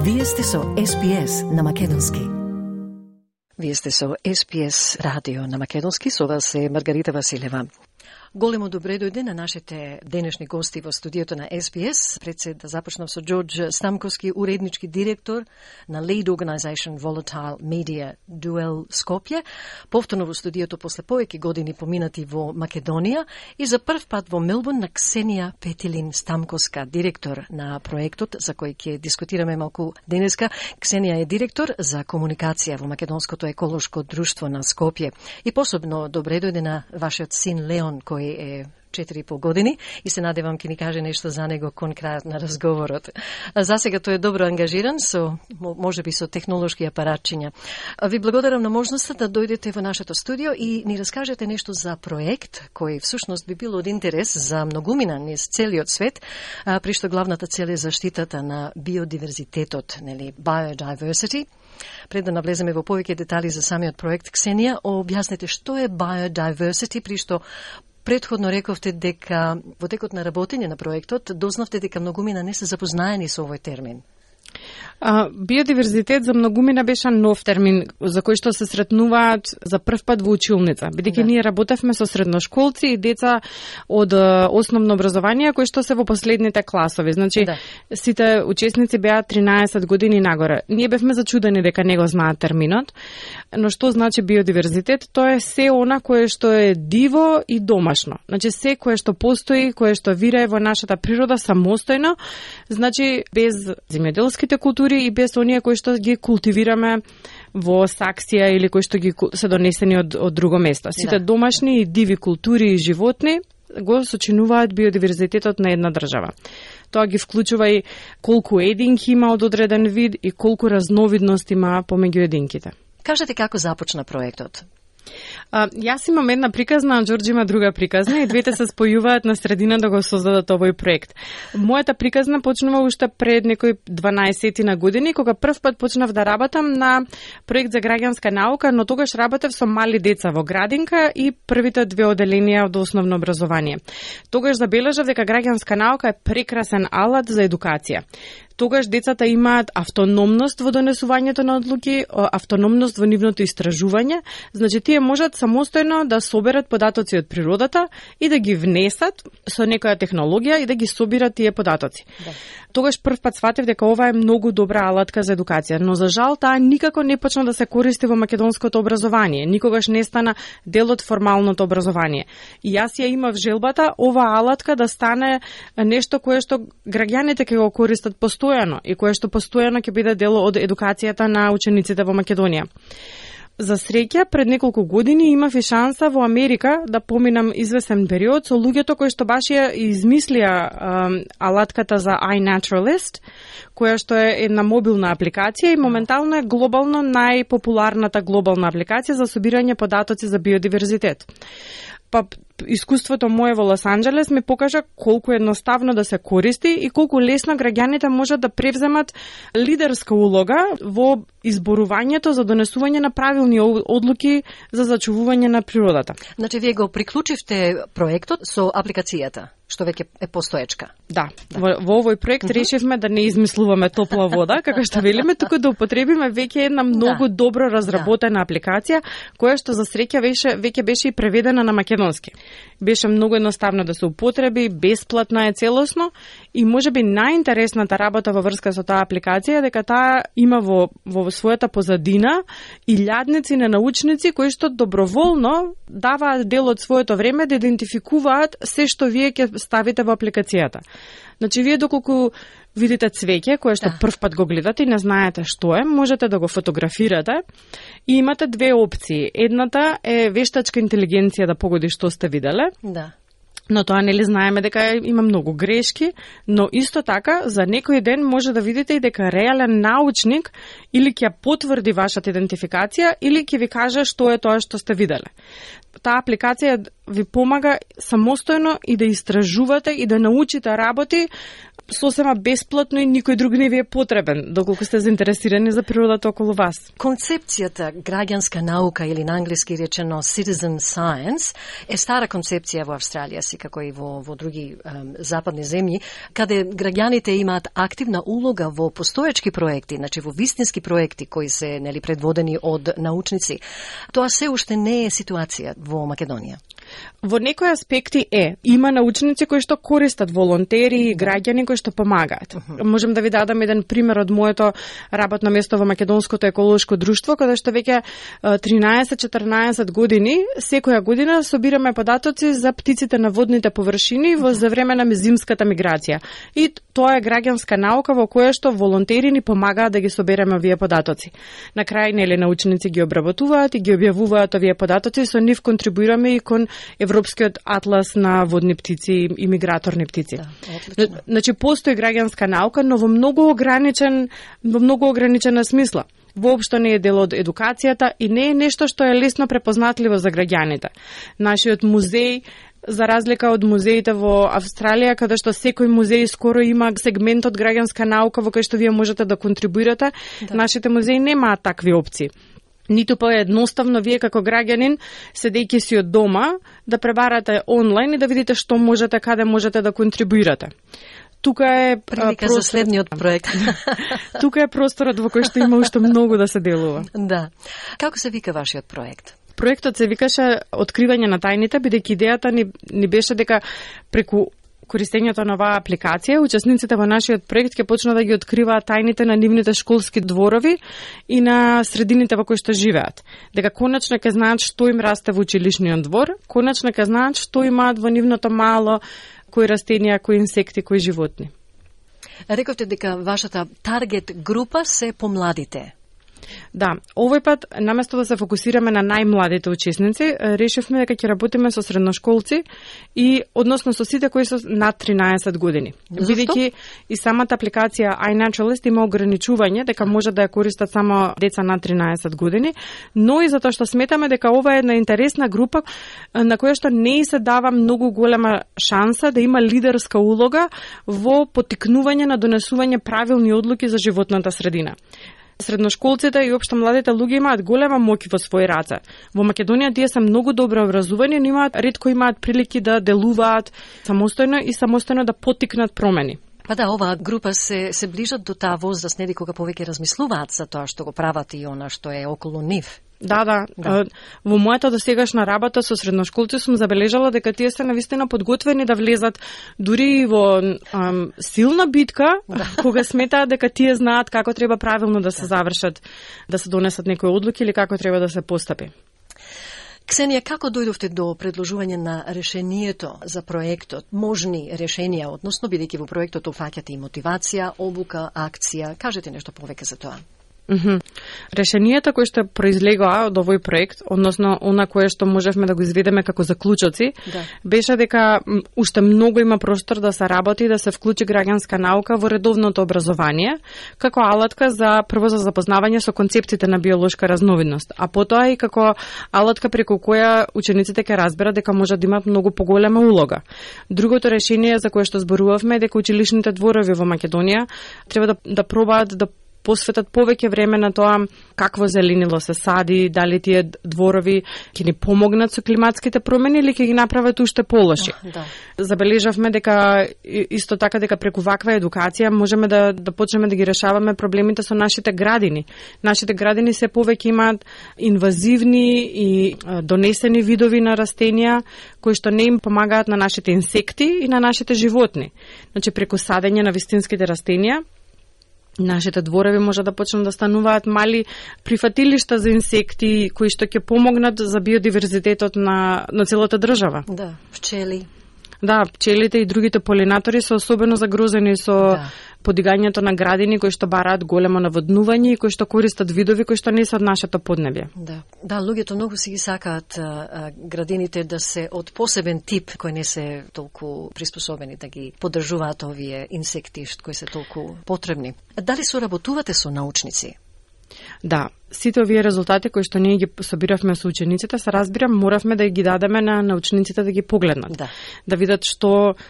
Вие сте со SPS на Македонски. Вие сте со SPS радио на Македонски, со вас е Маргарита Василева. Големо добре дојде на нашите денешни гости во студиото на SPS. Пред се да започнам со Ѓорѓ Стамковски, уреднички директор на Lead Organization Volatile Media Duel Скопје. Повторно во студиото после повеќе години поминати во Македонија и за прв пат во Мелбурн на Ксенија Петилин Стамковска, директор на проектот за кој ќе дискутираме малку денеска. Ксенија е директор за комуникација во Македонското еколошко друштво на Скопје. И посебно добре дојде на вашиот син Леон, кој е 4,5 години и се надевам ќе ни каже нешто за него кон крајот на разговорот. За сега тој е добро ангажиран со можеби со технолошки апаратчиња. Ви благодарам на можноста да дојдете во нашето студио и ни раскажете нешто за проект кој всушност би бил од интерес за многумина низ целиот свет, при што главната цел е заштитата на биодиверзитетот, нели, biodiversity. Пред да навлеземе во повеќе детали за самиот проект, Ксенија, објаснете што е biodiversity, при што предходно рековте дека во текот на работење на проектот дознавте дека многумина не се запознаени со овој термин. Биодиверзитет за многумина беше нов термин за кој што се сретнуваат за прв пат во училница, бидејќи ние работевме со средношколци и деца од основно образование кои што се во последните класови. Значи, сите учесници беа 13 години нагоре. Ние бевме зачудени дека не го знаат терминот, но што значи биодиверзитет? Тоа е се она кое што е диво и домашно. Значи, се кое што постои, кое што вирае во нашата природа самостојно, значи без земјоделските култури и без оние кои што ги култивираме во саксија или кои што ги се донесени од друго место. Сите домашни и диви култури и животни го сочинуваат биодиверзитетот на една држава. Тоа ги вклучува и колку единки има од одреден вид и колку разновидности има помеѓу единките. Кажете како започна проектот? Јас имам една приказна, а Ѓорѓ има друга приказна и двете се спојуваат на средина да го создадат овој проект. Мојата приказна почнува уште пред некои 12 на години, кога прв пат почнав да работам на проект за граѓанска наука, но тогаш работев со мали деца во градинка и првите две оделенија од основно образование. Тогаш забележав дека граѓанска наука е прекрасен алат за едукација. Тогаш децата имаат автономност во донесувањето на одлуки, автономност во нивното истражување, значи тие можат самостојно да соберат податоци од природата и да ги внесат со некоја технологија и да ги собират тие податоци. Тогаш прв пат сватев дека ова е многу добра алатка за едукација, но за жал таа никако не почна да се користи во македонското образование, никогаш не стана дел од формалното образование. И јас ја имав желбата ова алатка да стане нешто кое што граѓаните ќе го користат постојано и кое што постојано ќе биде дел од едукацијата на учениците во Македонија. За среќа, пред неколку години имав и шанса во Америка да поминам извесен период со луѓето кои што баш ја измислија алатката за iNaturalist, која што е една мобилна апликација и моментално е глобално најпопуларната глобална апликација за собирање податоци за биодиверзитет. Па искуството мое во Лос Анџелес ми покажа колку едноставно да се користи и колку лесно граѓаните можат да превземат лидерска улога во изборувањето за донесување на правилни одлуки за зачувување на природата. Значи, вие го приклучивте проектот со апликацијата, што веќе е постоечка. Да. Во овој проект решивме да не измислуваме топла вода, како што велиме, туку да употребиме веќе една многу добро разработена апликација, која што за среќа веќе беше и преведена на македонски. Беше многу едноставно да се употреби, бесплатна е целосно и можеби најинтересната работа во врска со таа апликација е дека таа има во својата позадина илјадници на научници кои што доброволно даваат дел од своето време да идентификуваат се што вие ќе ставите во апликацијата. Значи, вие доколку видите цвеќе, кое што прв пат го гледате и не знаете што е, можете да го фотографирате и имате две опции. Едната е вештачка интелигенција да погоди што сте виделе. Да. Но тоа нели знаеме дека има многу грешки, но исто така за некој ден може да видите и дека реален научник или ќе потврди вашата идентификација или ќе ви каже што е тоа што сте виделе. Таа апликација ви помага самостојно и да истражувате и да научите работи сосема бесплатно и никој друг не ви е потребен, доколку сте заинтересирани за природата околу вас. Концепцијата граѓанска наука или на англиски речено citizen science е стара концепција во Австралија, како и во други западни земји, каде граѓаните имаат активна улога во постоечки проекти, значи во вистински проекти кои се предводени од научници. Тоа се уште не е ситуација во Македонија. Во некои аспекти има научници кои што користат волонтери и граѓани кои што помагаат. Можем да ви дадам еден пример од моето работно место во Македонското еколошко друштво, каде што веќе 13-14 години, секоја година собираме податоци за птиците на водните површини за време на зимската миграција. И тоа е граѓанска наука во која што волонтери ни помагаат да ги собереме овие податоци. На крај научници ги обработуваат и ги објавуваат овие податоци, со нив контрибуираме и кон Европскиот атлас на водни птици и миграторни птици. Да, значи постои граѓанска наука, но во многу ограничена смисла. Воопшто не е дел од едукацијата и не е нешто што е лесно препознатливо за граѓаните. Нашиот музеј, за разлика од музеите во Австралија, каде што секој музеј скоро има сегмент од граѓанска наука во кој што вие можете да контрибуирате, нашите музеи немаат такви опции. Ниту едноставно вие како граѓанин, седејќи си од дома, да пребарате онлайн и да видите што можете, каде можете да контрибуирате. Тука е прилика за следниот проект. Тука е просторот во кој што има уште многу да се делува. Да. Како се вика вашиот проект? Проектот се викаше Откривање на тајните, бидејќи идејата ни беше дека преку користењето на оваа апликација, учесниците во нашиот проект ќе почнат да ги откриваат тајните на нивните школски дворови и на средините во кои што живеат. Дека конечно ќе знаат што им расте во училишниот двор, конечно ќе знаат што имаат во нивното мало, кои растенија, кои инсекти, кои животни. Рековте дека вашата таргет група се помладите. Да, овој пат, наместо да се фокусираме на најмладите учесници, решивме дека ќе работиме со средношколци и односно со сите кои се над 13 години. Бидејќи и самата апликација iNaturalist има ограничување дека може да ја користат само деца над 13 години, но и затоа што сметаме дека ова е една интересна група на која што не се дава многу голема шанса да има лидерска улога во поттикнување на донесување правилни одлуки за животната средина. Средношколците и општо младите луѓе имаат голема моќ во своји раце. Во Македонија тие се многу добро образувани, но ретко имаат прилики да делуваат самостојно да поттикнат промени. Па да, оваа група се ближат до таа возраст, нели кога повеќе размислуваат за тоа што го прават и она што е околу нив. Да. Во мојата досегашна работа со средношколци сум забележала дека тие се навистина подготвени да влезат дури во силна битка, кога сметаат дека тие знаат како треба правилно да се завршат, да се донесат некои одлуки или како треба да се постапи. Ксенија, како дојдовте до предложување на решението за проектот, можни решенија, односно бидејќи во проектот офаќате и мотивација, обука, акција, кажете нешто повеќе за тоа? Решенијата кои што произлегоа од овој проект, односно она кое што можевме да го изведеме како заклучоци, беше дека уште многу има простор да се работи и да се вклучи граѓанска наука во редовното образование, како алатка за прво за запознавање со концептите на биолошка разновидност, а потоа и како алатка преку која учениците ќе разберат дека може да имаат многу поголема улога. Другото решение за кое што зборувавме е дека училишните дворови во Македонија треба да пробаат да посветат повеќе време на тоа какво зеленило се сади, дали тие дворови ќе ни помогнат со климатските промени или ќе ги направат уште полоши. Забележавме дека исто така дека преку ваква едукација можеме да почнеме да ги решаваме проблемите со нашите градини. Нашите градини се повеќе имаат инвазивни и донесени видови на растенија кои што не им помагаат на нашите инсекти и на нашите животни. Значи преку садење на вистинските растенија нашите дворови може да почнат да стануваат мали прифатилишта за инсекти кои што ќе помогнат за биодиверзитетот на целата држава. Да, пчели. Да, пчелите и другите полинатори се особено загрозени со подигањето на градини кои што бараат големо наводнување и кои што користат видови кои што не се од нашето поднебје. Да, луѓето многу си ги сакаат градините да се од посебен тип кои не се толку приспособени да ги поддржуваат овие инсекти кои се толку потребни. Дали соработувате со научници? Да, сите овие резултати кои што ние ги собиравме со учениците, се разбира, моравме да ги дадеме на учениците да ги погледнат. Да видат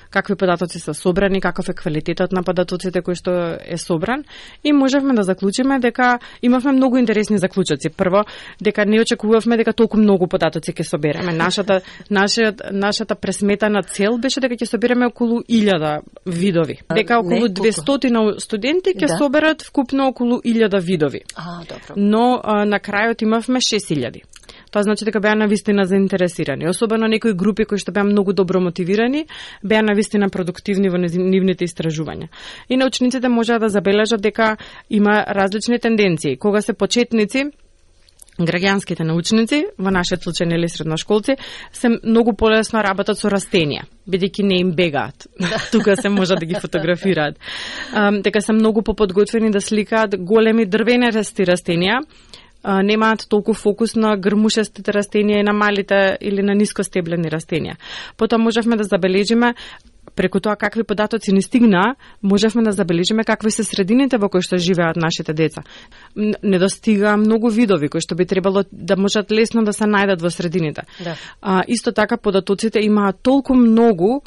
какви податоци се собрани, каков е квалитетот на податоците кои што е собран, и можевме да заклучиме дека имавме многу интересни заклучоци. Прво, дека не очекувавме дека толку многу податоци ќе собереме. Нашата пресметана цел беше дека ќе собереме околу 1000 видови. Дека околу 200 студенти ќе соберат вкупно околу 1000 видови. Добро. Но на крајот имавме 6000. Тоа значи дека беа навистина заинтересирани. Особено некои групи кои што беа многу добро мотивирани, беа навистина продуктивни во нивните истражувања. И научниците можеа да забележат дека има различни тенденции. Кога се почетници, граѓанските научници, во нашиот случај или средношколци, се многу полесно работат со растенија, бидејќи не им бегаат. Тука се може да ги фотографираат. Дека се многу поподготвени да сликаат големи дрвенести растенија, немаат толку фокус на грмушестите растенија и на малите или на нискостеблени растенија. Потоа можевме да забележиме, преку тоа какви податоци ни стигнаа, можевме да забележиме какви се средините во кои што живеат нашите деца. Недостига многу видови кои што би требало да можат лесно да се најдат во средините. Исто така податоците имаат толку многу,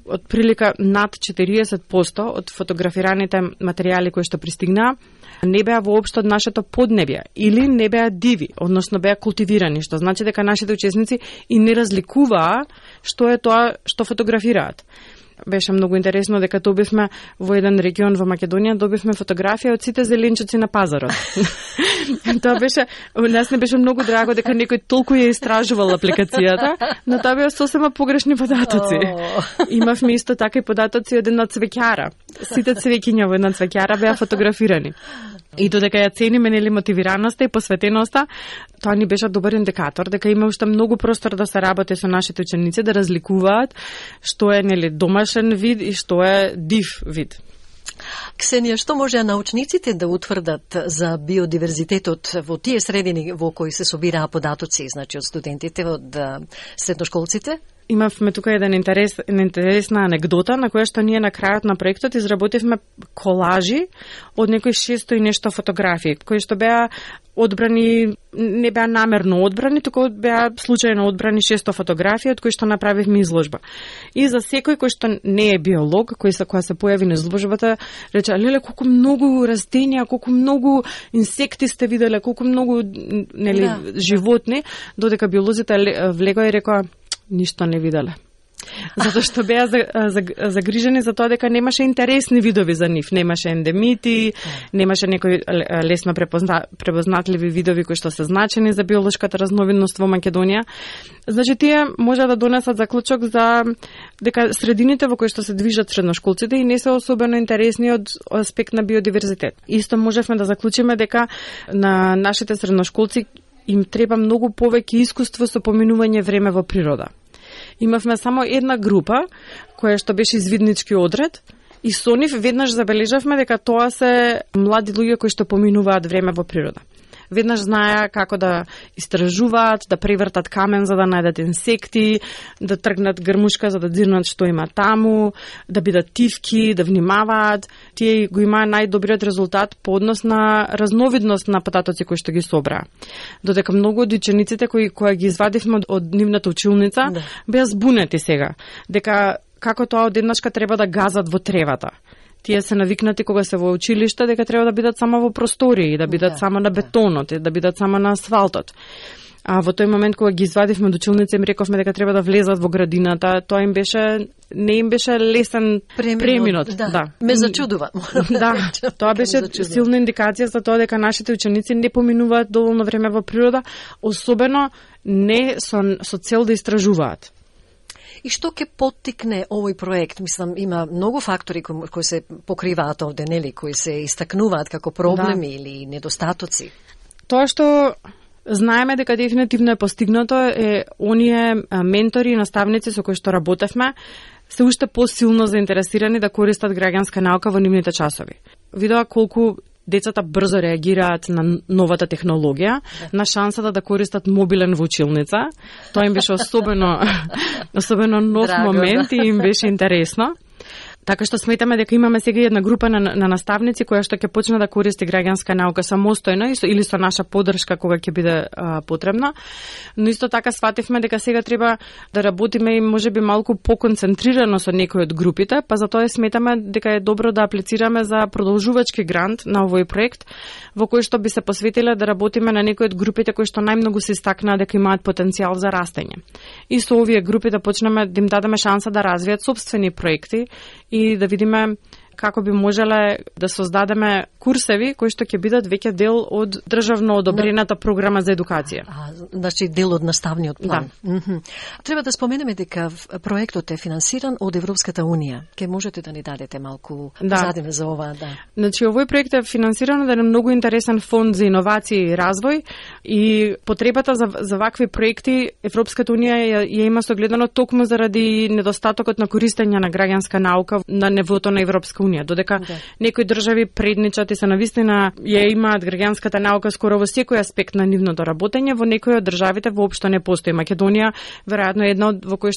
од прилика над 40% од фотографираните материјали кои што пристигнаа, не беа воопшто од нашето поднебје или не беа диви, односно беа култивирани, што значи дека нашите учесници и не разликуваа што е тоа што фотографираат. Беше многу интересно дека добивме во еден регион во Македонија, добивме фотографија од сите зеленчуци на пазарот. Тоа беше, нас не беше многу драго дека некој толку ја истражувал апликацијата, но тоа беа сосема погрешни податоци. Имавме исто така и податоци од една цвеќара. Сите цвеќиња во една цвеќара беа фотографирани. И додека ја цениме мотивираноста и посветеноста, тоа ни беше добар индикатор дека има уште многу простор да се работи со нашите ученици, да разликуваат што е домашен вид и што е див вид. Ксенија, што можеа научниците да утврдат за биодиверзитетот во тие средини во кои се собираа податоци, значи од студентите, од средношколците? Имавме тука една интересна анегдота на која што ние на крајот на проектот изработивме колажи од некои 600 и нешто фотографии, кои што беа одбрани, не беа намерно одбрани, туку беа случајно одбрани 600 фотографии од кои што направивме изложба. И за секој кој што не е биолог, која се појави на изложбата, рече: "Леле, колку многу растенија, колку многу инсекти сте виделе, колку многу животни", додека биолозите влегоа и рекоа: "Ништо не виделе." Затоа што беа загрижени за тоа дека немаше интересни видови за нив, немаше ендемити, немаше некои лесно препознатливи видови кои што се значени за биолошката разновидност во Македонија. Значи тие може да донесат заклучок за дека средините во кои што се движат средношколците и не се особено интересни од аспект на биодиверзитет. Исто можевме да заклучиме дека на нашите средношколци им треба многу повеќе искуство со поминување време во природа. Имавме само една група која што беше извиднички одред и со нив веднаш забележавме дека тоа се млади луѓе кои што поминуваат време во природа. Веднаш знаеа како да истражуваат, да превртат камен за да најдат инсекти, да тргнат грмушка за да дзирнат што има таму, да бидат тивки, да внимаваат. Тие го имаа најдобриот резултат по однос на разновидност на податоци кои што ги собраа. Додека многу од учениците кои ги извадивме од нивната училница беа збунети сега, дека како тоа одеднашка треба да газат во тревата. Тие се навикнати кога се во училиште дека треба да бидат само во простории, да бидат само на бетонот, да бидат само на асфалтот. А во тој момент кога ги извадивме од училница им рековме дека треба да влезат во градината, тоа им беше не им беше лесен преминот. Ме зачудува. Тоа беше силна индикација за тоа дека нашите ученици не поминуваат доволно време во природа, особено не со цел да истражуваат. И што ќе поттикне овој проект? Мислам, има многу фактори кои се покриваат овде, нели, кои се истакнуваат како проблеми или недостатоци. Тоа што знаеме дека дефинитивно е постигнато е оние ментори и наставници со кои што работевме се уште посилно заинтересирани да користат граѓанска наука во нивните часови. Видоа колку децата брзо реагираат на новата технологија, на шансата да користат мобилен во училница. Тоа им беше особено нов момент и им беше интересно. Така што сметаме дека имаме сега една група на наставници која што ќе почне да користи граѓанска наука самостојно или со наша поддршка кога ќе биде потребна. Но исто така свативме дека сега треба да работиме и можеби малку поконцентрирано со некои од групите, па затоа сметаме дека е добро да аплицираме за продолжувачки грант на овој проект во кој што би се посветиле да работиме на некои од групите кои што најмногу се истакнаа дека имаат потенцијал за растење. И со овие групи да почнеме да им дадеме шанса да развијат сопствени проекти и да видиме како би можеле да создадеме курсеви кои што ќе бидат веќе дел од државно одобрената програма за едукација. Значи дел од наставниот план. Да. Треба да споменеме дека проектот е финансиран од Европската унија. Ке можете да ни дадете малку позадина за ова, Значи овој проект е финансиран од еден многу интересен фонд за иновации и развој и потребата за вакви проекти Европската унија ја има согледано токму заради недостатокот на користење на граѓанска наука на нивото на Европска унија, додека некои држави предничат и се навистина ја имаат граѓанската наука скоро во секој аспект на нивното работење, во некои од државите воопшто не постои. Македонија веројатно е една во кој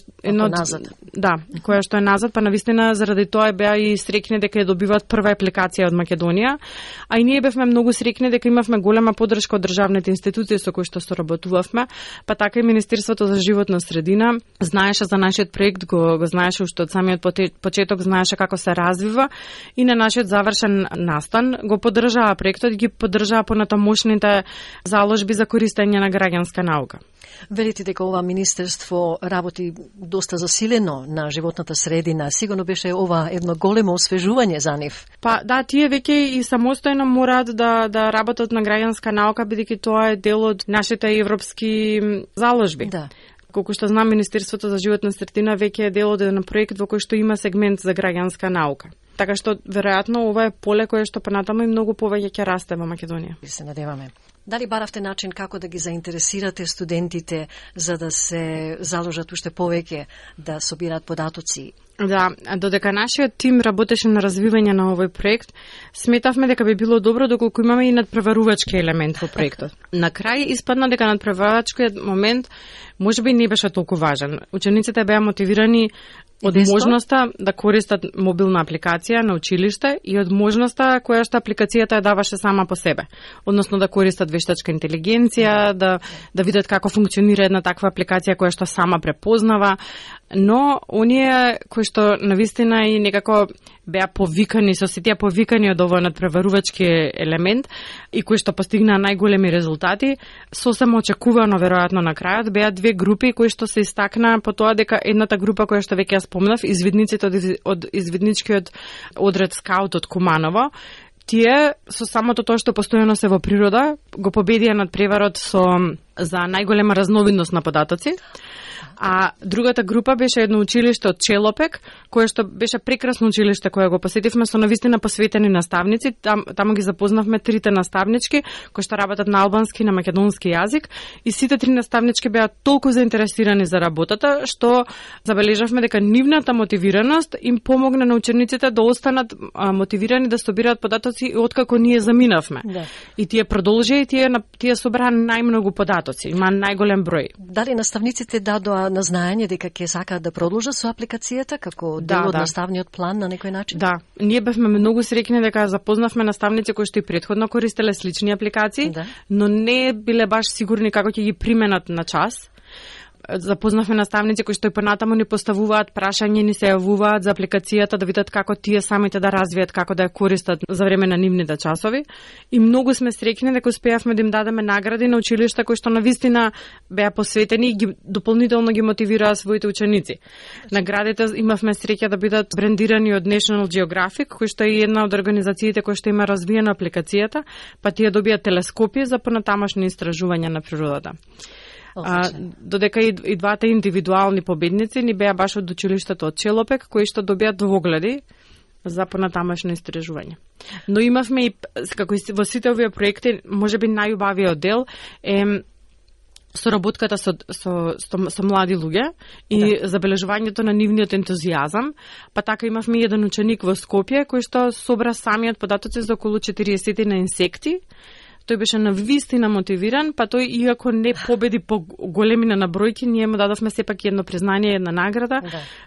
која што е назад, па навистина заради тоа беа и среќни дека ја добиваат прва апликација од Македонија, а и ние бевме многу среќни дека имавме голема поддршка од државните институции со кои што соработувавме, па така и Министерството за животна средина знаеше за нашиот проект, го знаеше уште од самиот почеток, знаеше како се развива и на нашиот завршен настан го поддржаа проектот и ги поддржаа понатамошните заложби за користење на граѓанска наука. Велите дека ова министерство работи доста засилено на животната средина. Сигурно беше ова едно големо освежување за нив. Па да, тие веќе и самостојно мораат да работат на граѓанска наука, бидејќи тоа е дел од нашите европски заложби. Да. Колку што знам, Министерството за животна средина веќе е дел од еден проект во кој што има сегмент за граѓанска наука. Така што веројатно ова е поле кое што понатаму и многу повеќе ќе расте во Македонија. И се надеваме. Дали баравте начин како да ги заинтересирате студентите за да се заложат уште повеќе да собираат податоци? Да, додека нашиот тим работеше на развивање на овој проект, сметавме дека би било добро доколку имаме и надпреварувачки елемент во проектот. На крај испадна дека надпреварувачкиот момент можеби не беше толку важен. Учениците беа мотивирани од можноста да користат мобилна апликација на училиште и од можноста која што апликацијата ја даваше сама по себе. Односно да користат вештачка интелигенција, да видат како функционира една таква апликација која што сама препознава, но оние кои што навистина и некако беа повикани, со сите повикани од овој надпреварувачки елемент и кои што постигнаа најголеми резултати, сосем очекувано веројатно на крајот беа две групи кои што се истакнаа по тоа дека едната група која што веќе ја спомнав, извидниците од извидничкиот одред скаут од Куманово, тие со самото тоа што постојано се во природа го победија надпреварот за најголема разновидност на податоци. А другата група беше едно училиште од Челопек, кое што беше прекрасно училиште кое го посетивме со навистина посветени наставници. Таму ги запознавме трите наставнички кои што работат на албански и на македонски јазик и сите три наставнички беа толку заинтересирани за работата што забележавме дека нивната мотивираност им помогна на учениците да останат мотивирани да собираат податоци и откако ние заминавме. Да. И тие продолжија и тие собраа најмногу податоци, има најголем број. Дали наставниците дадоа на знаење дека ќе сакаат да продолжат со апликацијата како дел од наставниот план на некој начин? Да, ние бевме многу среќни дека запознавме наставници кои што и претходно користеле слични апликации, но не биле баш сигурни како ќе ги применат на час. Запознавме наставници кои што и понатаму ни поставуваат прашања, ни се јавуваат за апликацијата да видат како тие самите да развијат, како да ја користат за време на нивните часови. И многу сме среќни дека успеавме да им дадеме награди на училишта кои што навистина беа посветени и дополнително ги мотивираа своите ученици. Наградите имавме среќа да бидат брендирани од National Geographic, кој што е една од организациите кои што има развиена апликацијата, па тие добија телескопи за понатамошни истражувања на природата. Додека и двата индивидуални победници ни беа баш од училиштето од Челопек, кои што добија двогледи за понатамошно истражување. Но имавме и, како и во сите овие проекти, можеби најубавиот дел е соработката со млади луѓе и забележувањето на нивниот ентузијазам, па така имавме еден ученик во Скопје кој што собра самиот податоци за околу 40 на инсекти. тој беше навистина мотивиран, па тој иако не победи по големина на бројки, ние му дадовме сепак едно признание, една награда,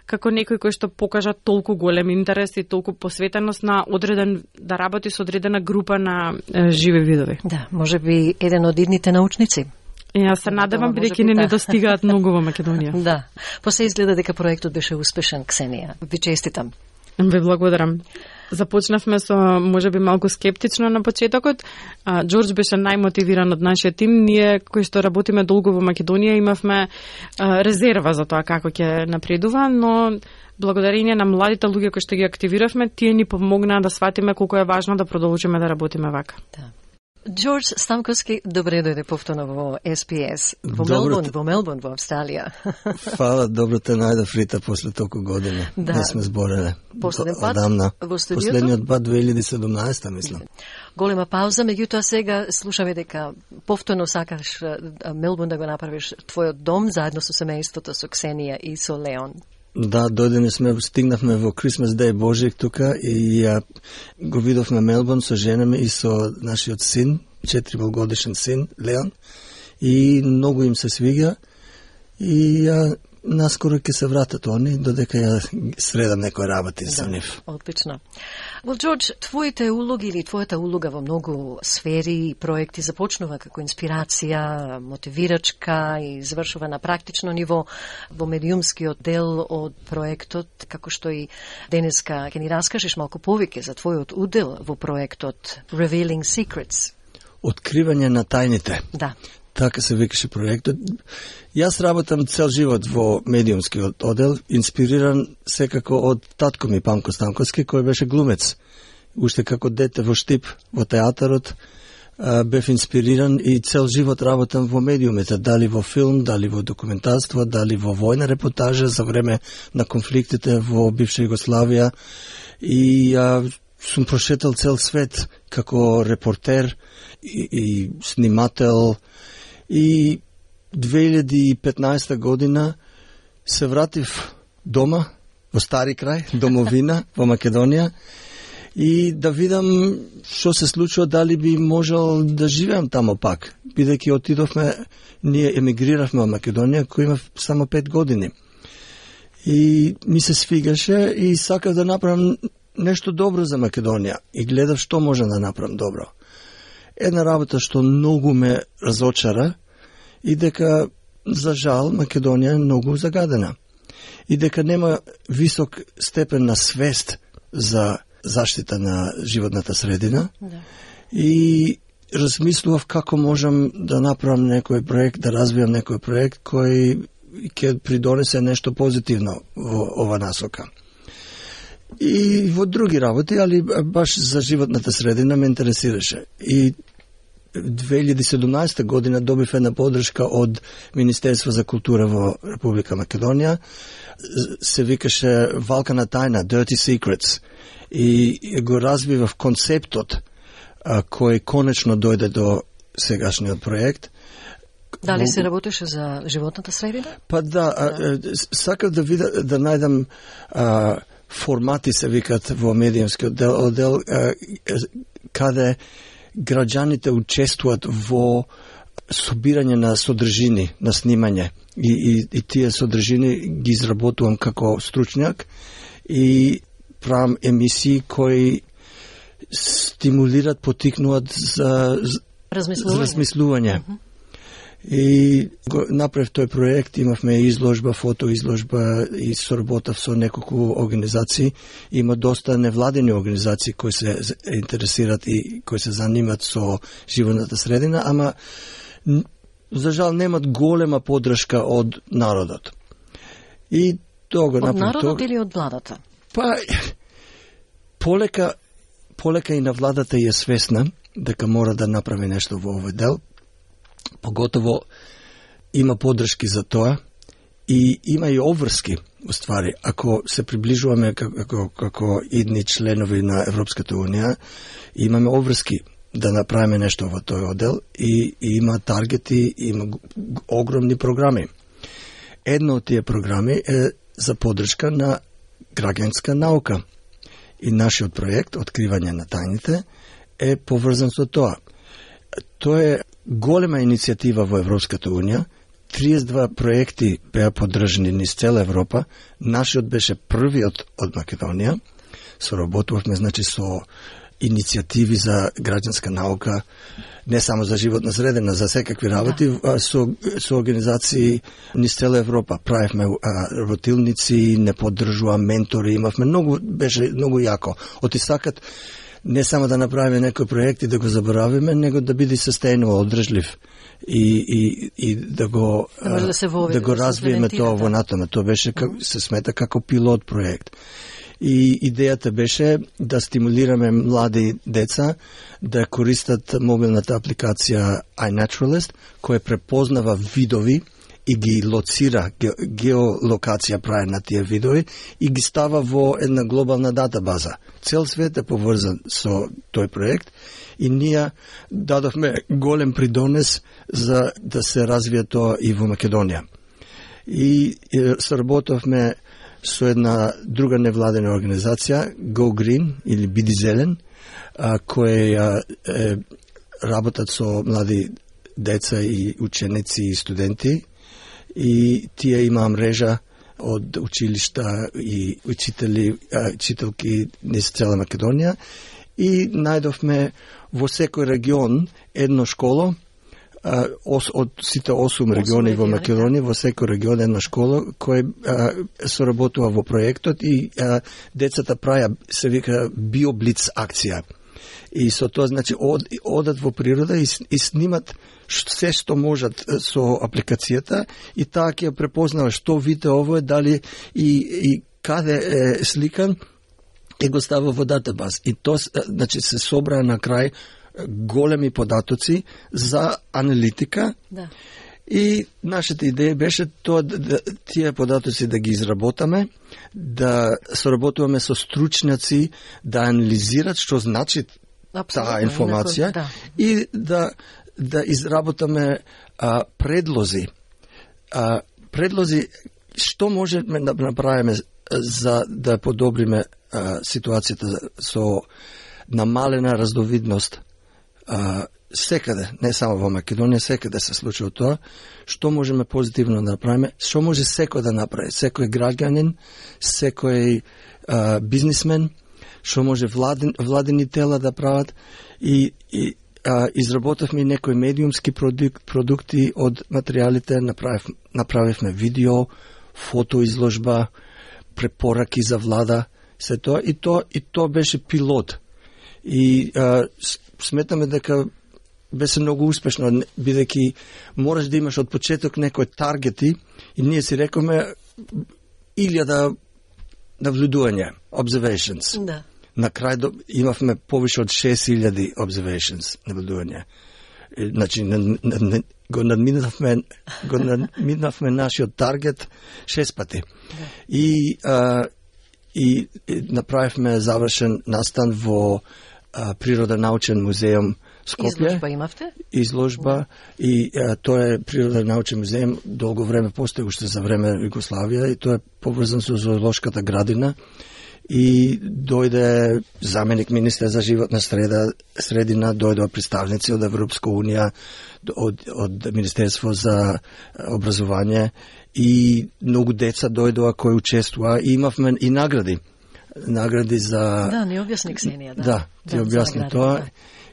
како некој кој што покажа толку голем интерес и толку посветеност на да работи со одредена група на живи видови. Да, може би еден од идните научници. Јас се надевам, бидејќи не недостигаат многу во Македонија. Да, после изгледа дека проектот беше успешен, Ксенија. Ви честитам. Ви благодарам. Започнавме со можеби малку скептично на почетокот. Џорџ беше најмотивиран од нашиот тим. Ние кои што работиме долго во Македонија имавме резерва за тоа како ќе напредува, но благодарение на младите луѓе кои што ги активиравме, тие ни помогнаа да сватиме колку е важно да продолжиме да работиме вака. Да. Џорџ Станковски, добре дојде повторно во SPS, во Мелбурн, во Австралија. Фала, добро те најдов, Рита, после толку години. Да. Не сме збореле. Последен пат во студиото? Последниот пат 2017, мислам. Голема пауза, меѓутоа сега слушаме дека повторно сакаш Мелбурн да го направиш твојот дом, заедно со семејството, со Ксенија и со Леон. Да, стигнавме во Christmas Day Божик тука и го видовме Мелбурн со жена ми и со нашиот син, 4-годишен син, Леон, и многу им се свига и наскоро ќе се вратат они, додека ја средам некој работи со нив. Одлично. Џорџ, твоите улоги или твојата улога во многу сфери и проекти започнува како инспирација, мотивирачка и завршува на практично ниво во медиумскиот дел од проектот, како што и денеска ќе ни раскажеш малку повеќе за твојот удел во проектот Revealing Secrets. Откривање на тајните. Да. Така се викаше проектот. Јас работам цел живот во медиумскиот одел, инспириран секако од татко ми Памко Станковски, кој беше глумец. Уште како дете во Штип, во театарот, бев инспириран и цел живот работам во медиумите, дали во филм, дали во документарство, дали во војна репортажа за време на конфликтите во бивша Југославија и сум прошетал цел свет како репортер и снимател. И 2015 година се вратив дома, во Стари крај, домовина, во Македонија, и да видам што се случува, дали би можел да живеам тамо пак, бидејќи отидовме, ние емигриравме во Македонија, кој има само 5 години. И ми се свигаше и сакав да направам нешто добро за Македонија и гледав што може да направам добро. Една работа што многу ме разочара и дека, за жал, Македонија е многу загадена. И дека нема висок степен на свест за заштита на животната средина. Да. И размислував како можам да направам некој проект, да развијам некој проект кој ќе придонесе нешто позитивно во ова насока. И во други работи, али баш за животната средина ме интересираше. И 2017 година добив една подршка од Министерство за култура во Република Македонија. Се викаше Валкана тајна, Dirty Secrets. И го развивав концептот кој конечно дојде до сегашниот проект. Дали се работеше за животната средина? Па да, сакав да видам, да најдам формати се викат во медиумскиот одел, каде граѓаните учествуваат во собирање на содржини, на снимање. И тие содржини ги изработувам како стручњак и правам емисии кои стимулират, потикнуваат за размислување. И го направив тој проект, имавме изложба, фотоизложба и соработав со неколку организации. Има доста невладени организации кои се интересират и кои се занимат со животната средина, ама за жал немат голема подршка од народот. И тоа го направив. Од народот или од владата? Па полека и на владата е свесна дека мора да направи нешто во овој дел. Поготово има подршки за тоа и има и обврски, уствари. Ако се приближуваме како идни членови на Европската Унија, имаме обврски да направиме нешто во тој одел и има таргети, има огромни програми. Една од тие програми е за подршка на граѓанска наука. И нашиот проект, Откривање на тајните, е поврзан со тоа. Тоа е голема иницијатива во Европската Унија. 32 проекти беа поддржани низ цела Европа. Нашиот беше првиот од Македонија. Соработувавме, значи, со иницијативи за граѓанска наука, не само за животна средина, за секакви работи, со организации низ цела Европа. Правевме работилници, не поддржува ментори, имавме беше многу јако. Отисакат не само да направиме некој проект и да го заборавиме, него да биде sustainable, одржлив и да го развиеме тоа во натаму. Тоа беше се смета како пилот проект. И идејата беше да стимулираме млади деца да користат мобилната апликација iNaturalist, која препознава видови и ги лоцира, геолокација прави на тие видови и ги става во една глобална датабаза. Цел свет е поврзан со тој проект и ние дадовме голем придонес за да се развие тоа и во Македонија. И соработовме со една друга невладена организација, Go Green или Биди Зелен, која работат со млади деца и ученици и студенти, и тие имаа мрежа од училишта и учителки низ цела Македонија, и најдовме во секој регион едно школо, од сите 8 региони во Македонија, во секој регион една школа кој соработува во проектот, и децата праја, се вика, биоблиц акција. И со тоа, значи, одат во природа и снимат се што можат со апликацијата, и таа ќе препознава што вид ово е, дали и каде е сликан, и го става во датабаз. И тоа, значи, се собра на крај големи податоци за аналитика. Да. И нашата идеја беше тоа тие податоци да ги изработаме, да соработуваме со стручњаци да анализират што значи таа информација, и да изработаме предлози. Предлози што можеме да направиме за да подобриме ситуацијата со намалена раздовидност секаде, не само во Македонија, секаде се случува тоа. Што можеме позитивно да направиме? Што може секој да направи? Секој граѓанин, секој бизнисмен, што може владени тела да прават, и изработавме некои медиумски продукти од материјалите, направивме видео, фотоизложба, препораки за влада, се тоа, и тоа беше пилот. И сметаме дека беше многу успешно, бидејќи мораш да имаш од почеток некои таргети, и ние си рековме 1000 навлюдувања, observations. Да. На крај имавме повише од 6000 observations, наблюдувања. Значи, го надминавме нашиот таргет 6 пати. Да. И направивме завршен настан во Природонаучен музеум Скопје. Изложба имавте? Изложба, и тоа е Природонаучен музеум, долго време постои уште за време Југославија, и тоа е поврзан со зоолошката градина. И дојде заменик министер за животна средина, дојде представници од Европска Унија, од Министерство за образование, и многу деца дојдоа кои учествуваа, и имавме и награди за... Да, не објасни Ксенија, да. Да, ти објасни тоа. Да.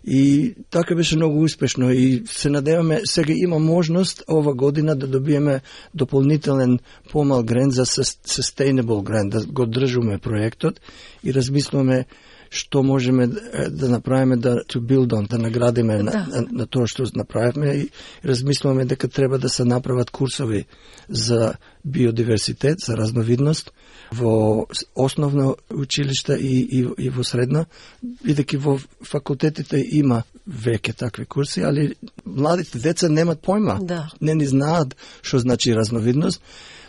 И така беше многу успешно, и се надеваме, сега има можност ова година да добиеме дополнителен помал грант за sustainable грант, да го држиме проектот, и размислуваме што можеме да направиме, to build on, да наградиме на тоа што направиме, и размислуваме дека треба да се направат курсови за биодиверситет, за разновидност во основно училиште и во средно, бидејќи во факултетите има веќе такви курси, али младите деца немат појма, не ни знаат што значи разновидност,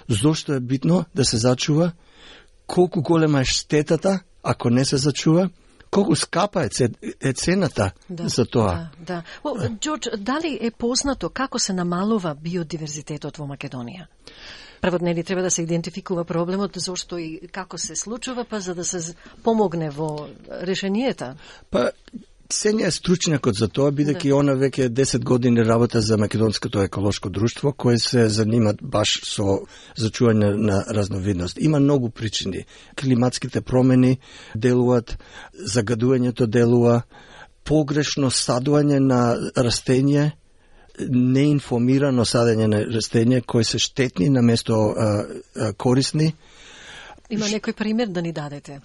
зошто е битно да се зачува, колку голема е штетата ако не се зачува, колку скапа е цената за тоа. Да. Ѓорџ, дали е познато како се намалува биодиверзитетот во Македонија? Прво, нели треба да се идентификува проблемот, зошто и како се случува, па за да се помогне во решенијата? Па, Сења е стручњакот за тоа, бидејќи она веќе 10 години работа за Македонското еколошко друштво, кое се занимат баш со зачување на разновидност. Има многу причини. Климатските промени делуваат, загадувањето делува, погрешно садување на растење, неинформирано садење на растење кои се штетни наместо корисни. Има некој пример да ни дадете?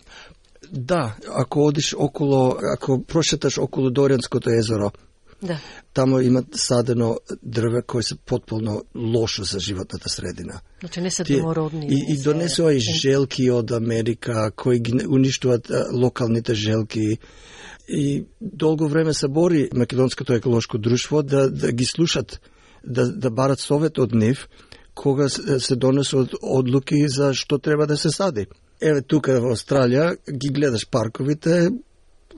Да, ако прошеташ околу Дорјанското езеро, да. Тамо има садено дрве кои се потполно лошо за животната средина. Значи не се домородни. И донесува и желки од Америка кои ги уништуваат локалните желки. И долго време се бори Македонското еколошко друштво да ги слушат, да барат совет од нив кога се донесуват одлуки за што треба да се сади. Еве тука во Австралија ги гледаш парковите,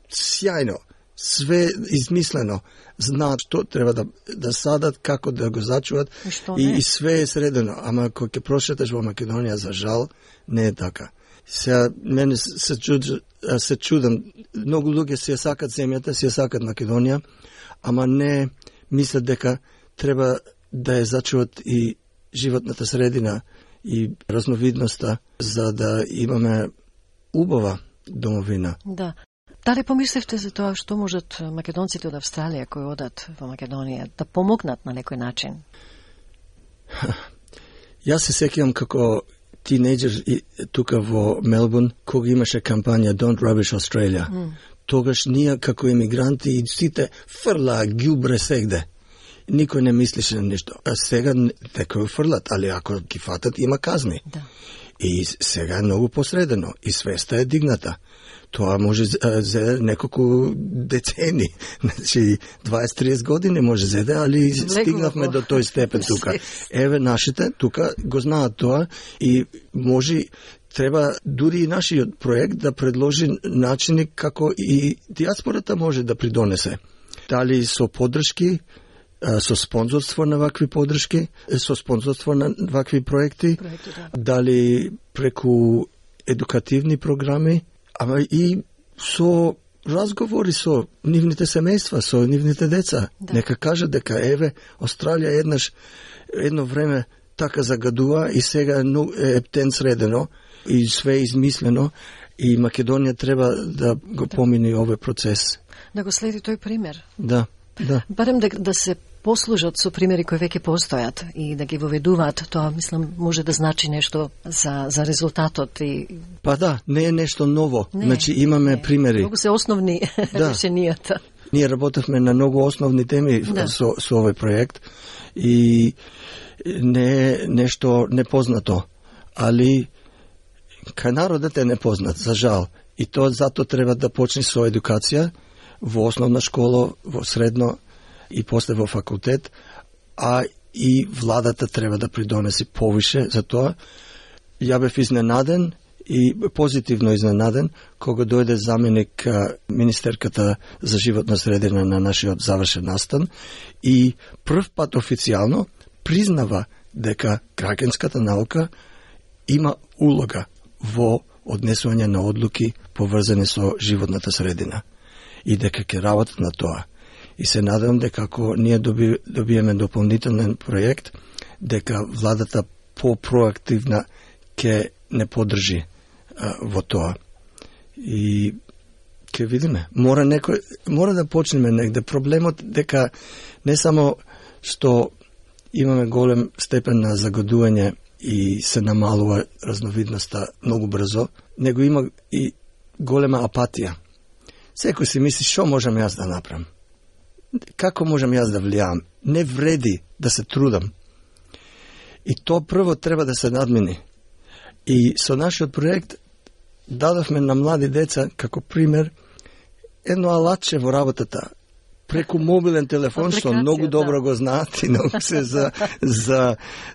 сјајно, све измислено, знаат што треба да садат, како да го зачуват и све е средено. Ама кога ќе прошеташ во Македонија, за жал, не е така. Сега, мене се чудам, многу луѓе си ја сакат земјата, си ја сакат Македонија, ама не мислат дека треба да ја зачуват и животната средина и разновидноста, за да имаме убава домовина. Да. Дали помислевте за тоа што можат македонците од Австралија кои одат во Македонија да помогнат на некој начин? Јас се сеќавам како тинејџер тука во Мелбурн, кога имаше кампања Don't Rubbish Australia. Тогаш ние како емигранти и сите фрлаа ѓубре сегде. Никој не мислеше на ништо. А сега некој фрлат, али ако ги фатат има казни. Да. И сега е многу посредено и свеста е дигната. Тоа може зеде неколку децени, значи 20-30 години може зеде, али стигнавме до тој степен тука. Еве нашите тука го знаат тоа и може треба дури и нашиот проект да предложи начини како и диаспората може да придонесе. Дали со поддршки, со спонзорство на вакви поддршки, со спонзорство на вакви проекти, дали преку едукативни програми, ама и со разговори со нивните семејства, со нивните деца. Да. Нека кажат дека еве Австралија едно време така загадува и сега е ептен средено и све измислено и Македонија треба да го помине овој процес. Да го следи тој пример. Да. Барем да се послужат со примери кои веќе постојат и да ги воведуваат, тоа мислам може да значи нешто за резултатот и Па да, не е нешто ново. Значи имаме примери. Многу се основни решенијата. Ние работевме на многу основни теми со овој проект и не е нешто непознато, али кај народот е непознат, за жал. И тоа затоа треба да почне со едукација во основна школа, во средно и после во факултет, а и владата треба да придонеси повише за тоа. Ја бев изненаден и позитивно изненаден кога дојде заменик министерката за животна средина на нашиот завршен настан и прв пат официјално признава дека граѓанската наука има улога во однесување на одлуки поврзани со животната средина и дека ќе работат на тоа. И се надевам дека ако ние добиеме дополнителен проект, дека владата по-проактивна ќе не поддржи во тоа. И ќе видиме. Мора да почнеме негде. Проблемот дека не само што имаме голем степен на загадување и се намалува разновидноста многу брзо, него има и голема апатија. Секој си мисли што можам јас да направам. Како можам јас да влијам? Не вреди да се трудам. И тоа прво треба да се надмини. И со нашиот проект дадовме на млади деца, како пример, едно алатче во работата, преку мобилен телефон, што многу добро го знаат и многу се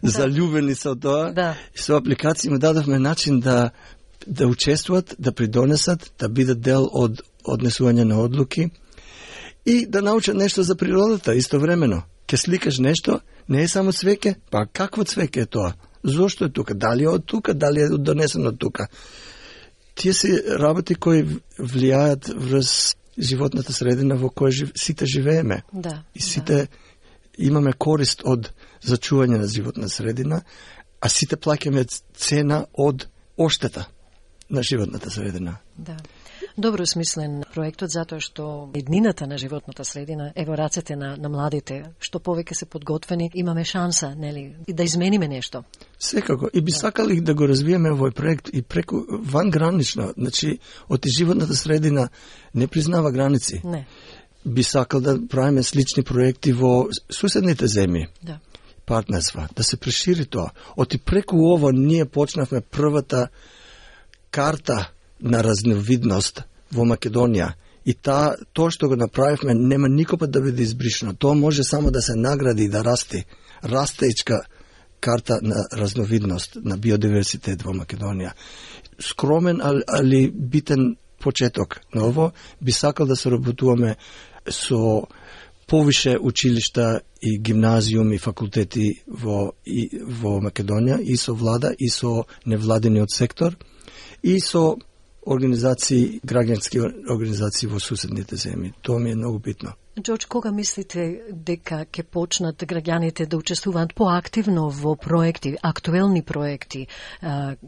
заљубени со тоа. Да. Со апликација му дадовме начин да учествуват, да придонесат, да бидат дел од однесување на одлуки и да научат нешто за природата истовремено. Ке сликаш нешто, не е само цвеќе, па какво цвеќе е тоа? Зошто е тука? Дали е од тука, дали е донесено од тука? Тие се работи кои влијаат врз животната средина во која сите живееме. Да. И сите имаме корист од зачување на животна средина, а сите плаќаме цена од оштета на животната средина. Да. Добро смислен проектот, затоа што еднината на животната средина е во рацете на младите. Што повеќе се подготвени, имаме шанса, нели, и да измениме нешто. Секако. И би сакали да го развиеме овој проект и преку вангранично. Значи, од животната средина не признава граници. Не. Би сакал да правиме слични проекти во суседните земји. Да. Партнерства, да се прошири тоа. Оти преку ово ние почнавме првата карта на разновидност во Македонија. И тоа што го направивме нема никога да биде избришено. Тоа може само да се награди и да расте. Растеечка карта на разновидност, на биодиверситет во Македонија. Скромен, али битен почеток на ово. Би сакал да се работуваме со повише училишта и гимназиуми, факултети во Македонија, и со влада, и со невладениот сектор, и со организации, граѓански организации во суседните земји. Тоа ми е многу битно. Џорџ, кога мислите дека ќе почнат граѓаните да учествуваат поактивно во проекти, актуелни проекти,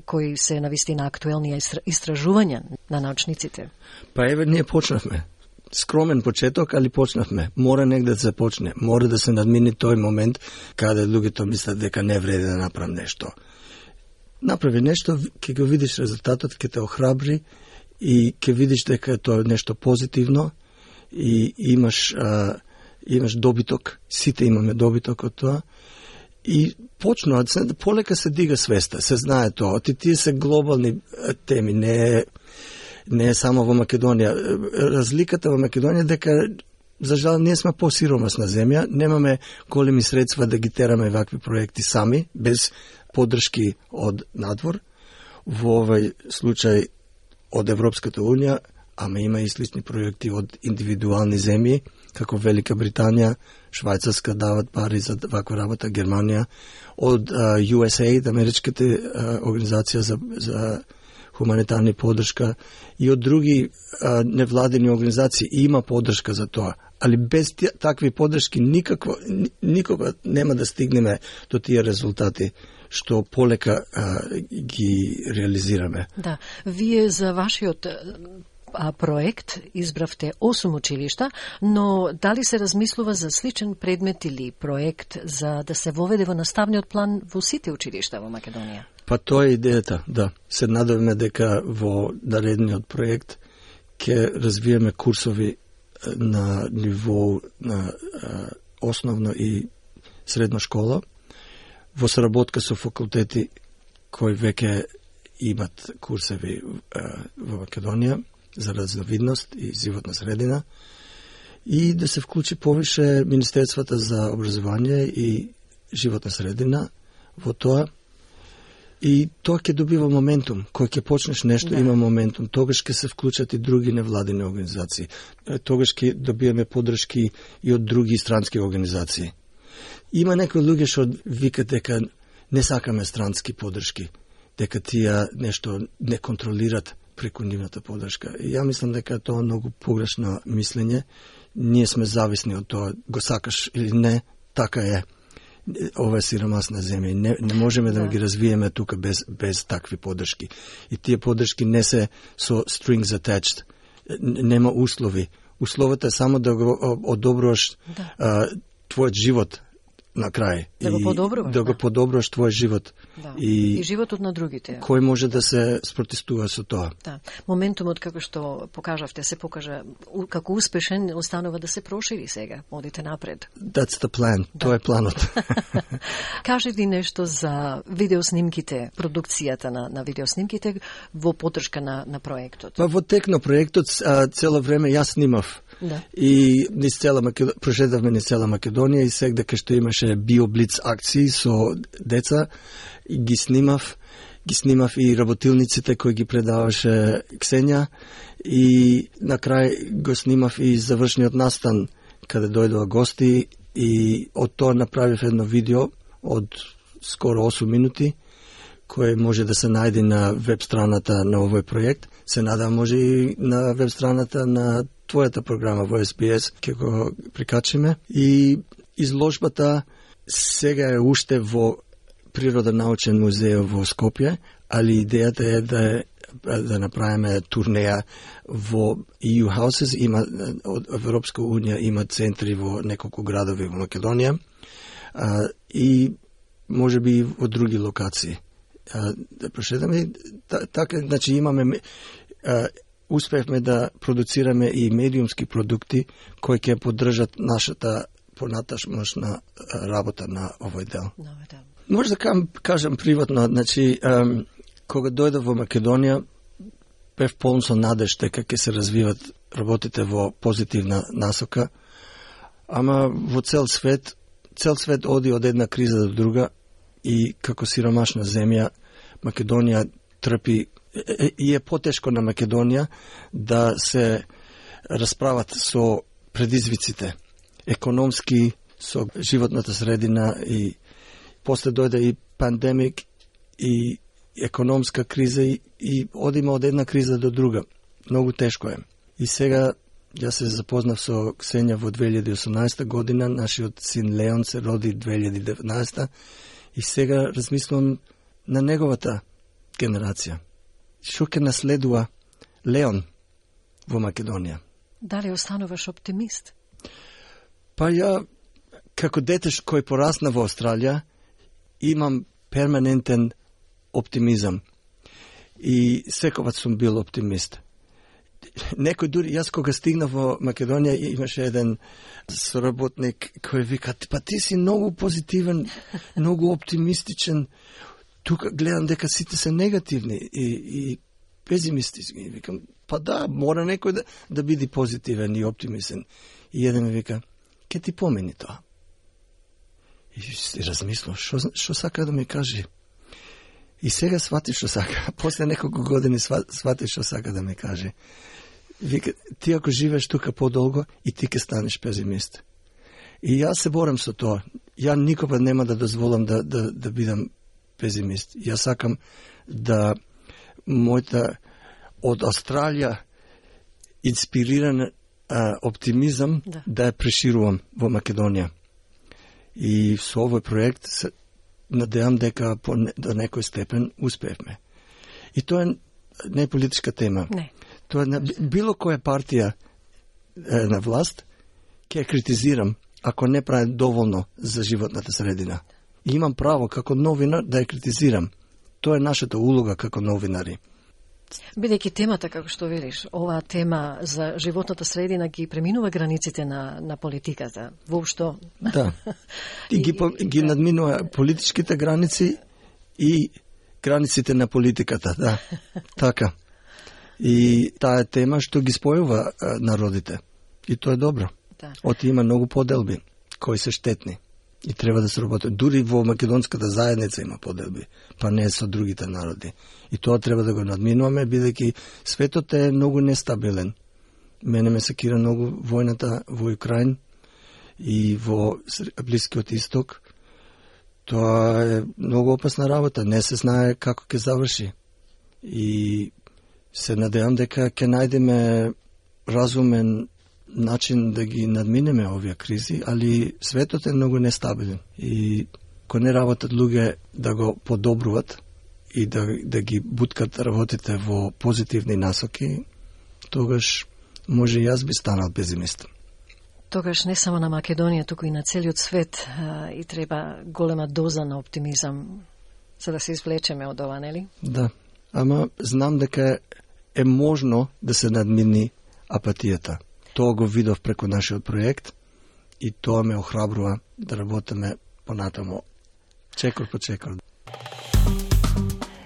кои се навистина актуелни истражувања на научниците? Па еве, ние почнавме. Скромен почеток, али почнавме. Мора негде да се почне. Мора да се надмини тој момент каде луѓето мислат дека не вреди да направам нешто. Направи нешто, ќе го видиш резултатот, ќе те охрабри и ќе видиш дека тоа е нешто позитивно и имаш добиток. Сите имаме добиток од тоа. И почнуваат, полека се дига свеста, се знае тоа. Тие се глобални теми, не е само во Македонија. Разликата во Македонија дека, за жал, ние сме посиромасна земја, немаме големи средства да ги тераме вакви проекти сами, без поддршки од надвор. Во овој случај од Европската Унија, ама има и слични проекти од индивидуални земји, како Велика Британија, Швајцарска дават пари за ваква работа, Германија, од USAID, Америчката организација за хуманитарни поддршка, и од други невладени организации има поддршка за тоа. Али без такви поддршки никога нема да стигнеме до тие резултати што полека ги реализираме. Да, вие за вашиот проект избравте 8 училишта, но дали се размислува за сличен предмет или проект за да се воведе во наставниот план во сите училишта во Македонија? Па тоа е идејата, да. Се надеваме дека во наредниот проект ќе развиеме курсови на ниво на основно и средна школа, во соработка со факултети кои веќе имат курсеви во Македонија за разновидност и животна средина, и да се вклучи повише Министерствата за образование и животна средина во тоа. И тоа ќе добива моментум. Кој ќе почнеш нешто, има моментум. Тогаш ќе се вклучат и други невладени организации. Тогаш ќе добиеме поддршки и од други странски организации. Има некои луѓе што викат дека не сакаме странски поддршки, дека тие нешто не контролират преку нивната поддршка. И ја мислам дека тоа е многу погрешно мислење. Ние сме зависни од тоа, го сакаш или не, така е. Ова е сиромасна земја. Не можеме да ги развиеме тука без такви поддршки. И тие поддршки не се со strings attached. Нема услови. Условата е само да го одобруваш твојот живот на крај. Да го подобруваш. Да го подобруваш твојот живот. Да. И животот на другите. Кој може да се спротестува со тоа? Да. Моментумот, како што покажавте, се покажа како успешен, останува да се прошири сега. Одите напред. That's the plan. Да. Тоа е планот. Кажете нешто за видеоснимките, продукцијата на видеоснимките во поддршка на проектот. Во тек на проектот цело време јас снимав. Да. И прошедавме низ цела Македонија и сега што имаше биоблиц акции со деца, и ги снимав и работилниците кои ги предаваше Ксенија, и на крај го снимав и завршниот настан каде дојдоа гости, и од тоа направив едно видео од скоро 8 минути, кој може да се најде на веб страната на овој проект. се надам може и на веб страната на твојата програма во SBS ќе го прикачиме. И изложбата сега е уште во Природонаучен музеј во Скопје, али идејата е да направиме турнеја во EU Houses, има од Европска унија има центри во неколку градови во Македонија и може би и во други локации. Да прошетаме така, значи имаме успевме да продуцираме и медиумски продукти кои ќе поддржат нашата понаташна работа на овој дел. Може да кажам приватно, значи кога дојдов во Македонија бев полн со надеж дека ќе се развиват работите во позитивна насока, ама во цел свет оди од една криза до друга и како сиромашна земја Македонија трпи и е потешко на Македонија да се расправат со предизвиците економски, со животната средина и после дојде и пандемик и економска криза и одиме од една криза до друга. Многу тешко е. И сега јас се запознав со Ксенија во 2018 година, нашиот син Леон се роди 2019 и сега размислувам на неговата генерација. Што ќе наследува Леон во Македонија? Дали остануваш оптимист? Па ја, како дете кој порасна во Австралија, имам перманентен оптимизам. И секогаш сум бил оптимист. Некој дури, јас кога стигнав во Македонија, имаше еден соработник кој вика, па ти си многу позитивен, многу оптимистичен, тука гледам дека сите се негативни и песимистични. Викам, па да, мора некој да биде позитивен и оптимистен. И еден ми вика, ке ти помени тоа. И размислам, што сака да ми каже? И сега свати што сака. После неколку години свати што сака да ми каже. Вика, ти ако живееш тука подолго, и ти ке станеш песимист. И јас се борам со тоа. Ја никога нема да дозволам да бидам песимист. Јас сакам да мојата од Австралија инспириран оптимизам да ја преширувам во Македонија. И со овој проект се надевам дека до некој степен успевме. И тоа не е политичка тема. Не. Тоа е било која партија на власт ќе ја критизирам ако не прави доволно за животната средина. И имам право како новинар да ја критизирам. Тоа е нашата улога како новинари. Бидејќи темата, како што велиш, оваа тема за животната средина ги преминува границите на политиката. Воопшто. Да. И ги надминува политичките граници и границите на политиката, да. Така. И таа тема што ги спојува народите. И тоа е добро. Да. Оти има многу поделби кои се штетни. И треба да се работи. Дури во македонската заедница има поделби, па не со другите народи. И тоа треба да го надминуваме, бидејќи светот е многу нестабилен. Мене ме секира многу војната во Украин и во Блискиот Исток. Тоа е многу опасна работа. Не се знае како ќе заврши. И се надевам дека ќе најдеме разумен начин да ги надминеме овие кризи, али светот е многу нестабилен и кога не работат луѓе да го подобруват и да ги буткат работите во позитивни насоки, тогаш може јас би станал песимист. Тогаш не само на Македонија, туку и на целиот свет и треба голема доза на оптимизам за да се извлечеме од ова, нели? Да, ама знам дека е можно да се надмини апатијата. Тоа го видов преку нашиот проект и тоа ме охрабрува да работиме понатамо, чекор по чекор.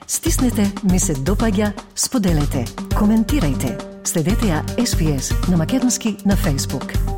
Стиснете, ми се допаѓа, споделете, коментирајте. Следете ја SPS на Македонски на Facebook.